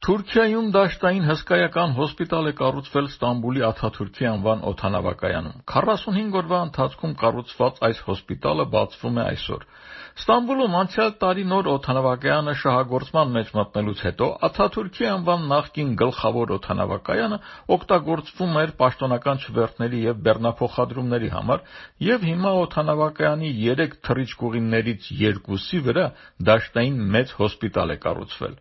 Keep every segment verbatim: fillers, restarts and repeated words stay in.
Թուրքիայում դաշտային հսկայական հոսպիտալ է կառուցվել Ստամբուլի Աթաթուրքի անվան օդանավակայանում։ քառասունհինգ օրվա ընթացքում կառուցված այս հոսպիտալը բացվում է այսօր։ Ստամբուլում անցյալ տարի նոր օդանավակայանը շահագործման մեջ մտնելուց հետո Աթաթուրքի անվան նախկին գլխավոր օդանավակայանը օգտագործվում էր պաշտոնական չվերթների և բեռնափոխադրումների համար, և հիմա օդանավակայանի երեք թռիչքուղիներից երկուսի վրա դաշտային մեծ հոսպիտալ է կառուցվել։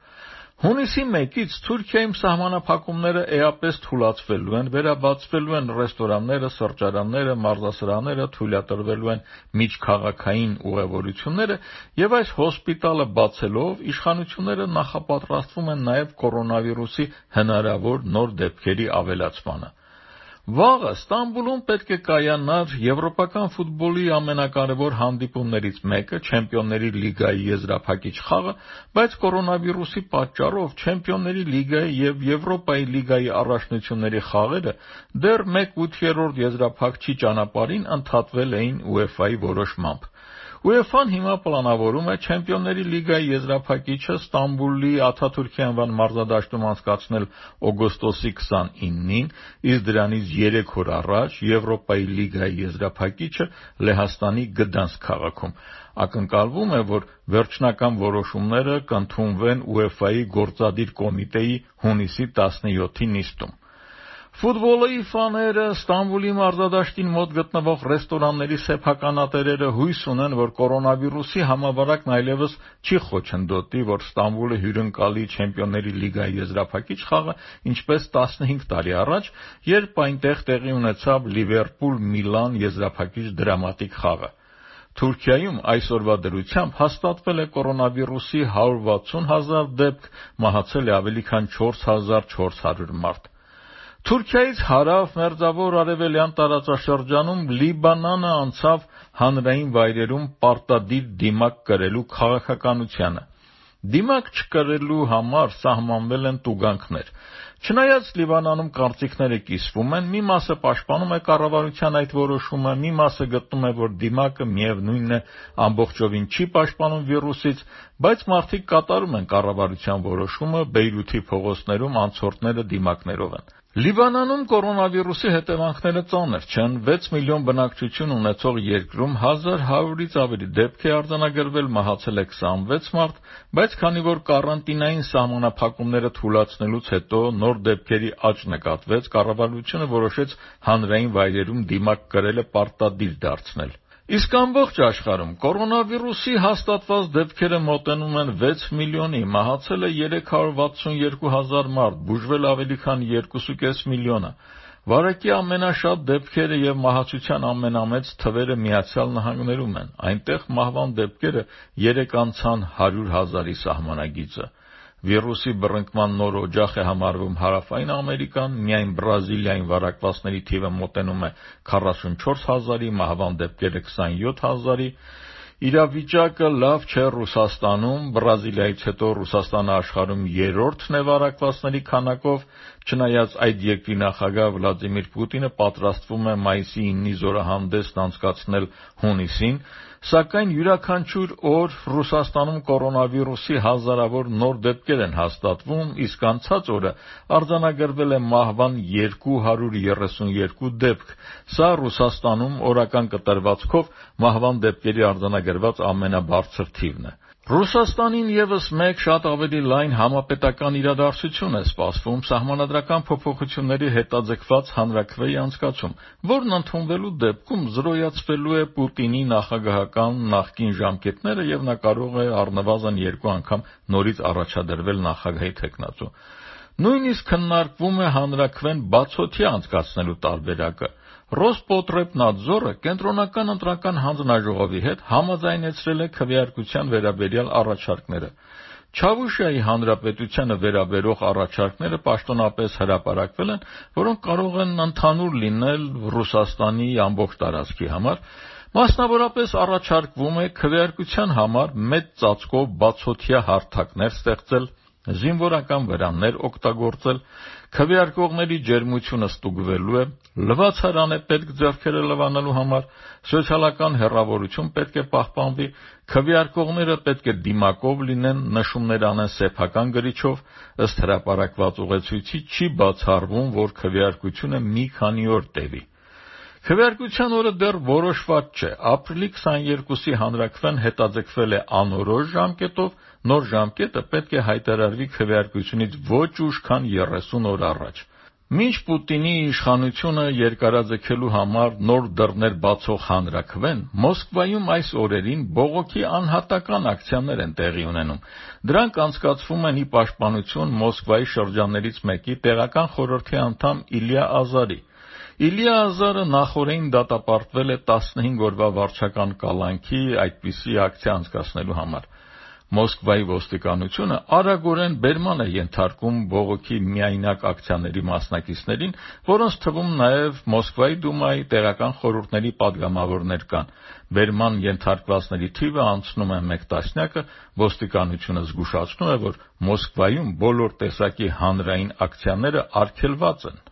Հունիսի մեկից Թուրքիայում սահմանափակումները էապես թուլացվելու են, վերաբացվելու են ռեստորանները, սրճարանները, մարզասրահները, թույլատրվելու են միջքաղաքային ուղևորությունները, և այս հոսպիտալը բացելով իշխանությունները նախապատրաստվում են նաև կորոնավիրուսի հնարավոր նոր դեպքերի ավելացմանը։ Վաղը Ստամբուլում պետք է կայանար եվրոպական ֆուտբոլի ամենակարևոր հանդիպումներից մեկը՝ Չեմպիոնների լիգայի եզրափակիչ խաղը, բայց կորոնավիրուսի պատճառով Չեմպիոնների լիգայի և Եվրոպայի լիգայի առաջնությունների խաղերը դեռ մեկ ութերորդ եզրափակչի ճանապարհին ընդհատվել էին ՈՒԵՖԱ-ի որոշմամբ։ ՈՒԵՖԱ-ն հիմա պլանավորում է Չեմպիոնների լիգայի եզրափակիչը Ստամբուլի Աթաթուրքի անվան մարզադաշտում անցկացնել օգոստոսի քսանինին, իսկ դրանից երեք օր առաջ Եվրոպայի լիգայի եզրափակիչը Լեհաստանի Գդանսկ քաղաքում։ Ակնկալվում է, որ վերջնական որոշումները կընդունվեն ՈՒԵՖԱ-ի գործադիր կոմիտեի հունիսի տասնյոթի նիստում։ Ֆուտբոլի ֆաները, Ստամբուլի մարզադաշտին մոտ գտնվող ռեստորանների սեփականատերերը հույս ունեն, որ կորոնավիրուսի համավարակն այլևս չի խոչընդոտի, որ Ստամբուլը հյուրընկալի Չեմպիոնների լիգայի եզրափակիչ խաղը, ինչպես տասնհինգ տարի առաջ, երբ այնտեղ տեղի ունեցավ Լիվերպուլ-Միլան եզրափակիչ դրամատիկ խաղը։ Թուրքիայում այսօրվա դրությամբ հաստատվել է կորոնավիրուսի հարյուր վաթսուն հազար դեպք, մահացել է ավելի քան չորս հազար չորս հարյուր մարդ։ Թուրքիայից հարավ Մերձավոր Արևելյան տարածաշրջանում Լիբանանը անցավ հանրային վայրերում պարտադիր դիմակ կրելու քաղաքականությանը։ Դիմակ չկրելու համար սահմանվել են տուգանքներ։ Չնայած Լիբանանում կարծիքները կիսվում են, մի մասը պաշտպանում է կառավարության այդ որոշումը, մի մասը գտնում է, որ դիմակը միևնույնն է ամբողջովին չի պաշտպանում վիրուսից, բայց մարդիկ կատարում են կառավարության որոշումը, Բեյրութի փողոցներում անցորդները դիմակներով են։ Լիբանանում կորոնավիրուսի հետևանքները ծանր չեն։ վեց միլիոն բնակչություն ունեցող երկրում հազար հարյուրից ավելի դեպք է արձանագրվել, մահացել է քսանվեց մարդ, բայց քանի որ կարանտինային սահմանափակումները թուլացնելուց հետո նոր դեպքերի աճ նկատվեց, կառավարությունը որոշեց հանրային վայրերում դիմակ կրելը պարտադիր դարձնել։ Իսկ ամբողջ աշխարհում կորոնավիրուսի հաստատված դեպքերը մոտենում են վեց միլիոնի, մահացել է երեք հարյուր վաթսուն երկու հազար մարդ, բուժվել ավելի քան երկուսուկես միլիոնը։ Վարակի ամենաշատ դեպքերը և մահացության ամենամեծ թվերը Միացյալ Նահանգներում են։ Այնտեղ մահվան դեպքերը երեք անցան հարյուր հազարի սահմանագիծը։ Վիրուսի բռնկման նոր օջախ է համարվում Հարավային Ամերիկան, միայն Բրազիլիայում վարակվածների թիվը մոտենում է քառասունչորս հազարի, մահվան դեպքերը քսանյոթ հազարի։ Իրավիճակը լավ չէ Ռուսաստանում, Բրազիլիայից հետո Ռուսաստանը աշխարհում երրորդն է վարակվածների քանակով, չնայած այդ երկրի նախագահ Վլադիմիր Պուտինը պատրաստվում է մայիսի իննի զորահանդեսն անցկացնել հունիսին, սակայն յուրաքանչյուր օր Ռուսաստանում կորոնավիրուսի հազարավոր նոր դեպքեր են հաստատվում, իսկ անցած օրը արձանագրվել է մահվան երկու հարյուր երեսունյոթ դեպք։ Սա Ռուսաստանում օրական կտրվածքով մահվան դեպքերի արձանագրված ամենաբարձր թիվն է։ Ռուսաստանին ևս մեկ շատ ավելի լայն համապետական իրադարձություն է սպասվում՝ սահմանադրական փոփոխությունների հետաձգված հանրաքվեի անցկացում, որն ընդունվելու դեպքում զրոյացվելու է Պուտինի նախագահական նախկին ժամկետները և նա կարող է առնվազն երկու անգամ նորից առաջադրվել նախագահի թեկնածու։ Նույնիսկ քննարկվում է հանրաքվեն բացօթյա անցկացնելու տարբերակը։ Ռոսպոտրեբնադզորը կենտրոնական ընտրական հանձնաժողովի հետ համաձայնեցրել է քվեարկության վերաբերյալ առաջարկները։ Չավուշիայի հանրապետությանը վերաբերող առաջարկները պաշտոնապես հրապարակվել են, որոնք կարող են ընդհանուր լինել Ռուսաստանի ամբողջ տարածքի համար։ Մասնավորապես առաջարկվում է քվեարկության համար մեծ ծածկով բացօթյա հարթակներ ստեղծել, զինվորական վրաններ օգտագործել, քվեարկողների ջերմությունը ստուգվելու է, լվացարան է պետք ձեռքերը լվանալու համար, սոցիալական հեռավորություն պետք է պահպանվի, քվեարկողները պետք է դիմակով լինեն, նշումներ անեն սեփական գրիչով, ըստ հրապարակված ուղեցույցի չի բացառվում, որ քվեարկությունը մի քանի օր տևի։ Քվեարկության օրը դեռ որոշված չէ, ապրիլի քսաներկուսի հանրաքվեն հետաձգվել է անորոշ ժամկետով, նոր ժամկետը պետք է հայտարարվի քվեարկությունից ոչ ուշ, քան երեսուն օր առաջ։ Մինչ Պուտինի իշխանությունը երկարաձգելու համար նոր դռներ բացող հանրաքվեն, Մոսկվայում այս օրերին բողոքի անհատական ակցիաներ են տեղի ունենում։ Դրանք անցկացվում են ի պաշտպանություն Մոսկվայի շրջաններից մեկի տեղական խորհրդի անդամ Իլյա Ազարի։ Իլյա Ազարը նախօրեին դատապարտվել է տասնհինգ օրվա վարչական կալանքի այդպիսի ակցիա անցկացնելու համար։ Մոսկվայի ոստիկանությունը արագորեն բերման է ենթարկում բողոքի միայնակ ակցիաների մասնակիցներին, որոնց թվում նաև Մոսկվայի դումայի տեղական խորհուրդների падգամավորներ կան։ Բերման ենթարկվածների թիվը անցնում է մեկ տասնյակը, ոստիկանությունը զգուշացնում է, որ Մոսկվայում բոլոր տեսակի հանրային ակցիաները արգելված են։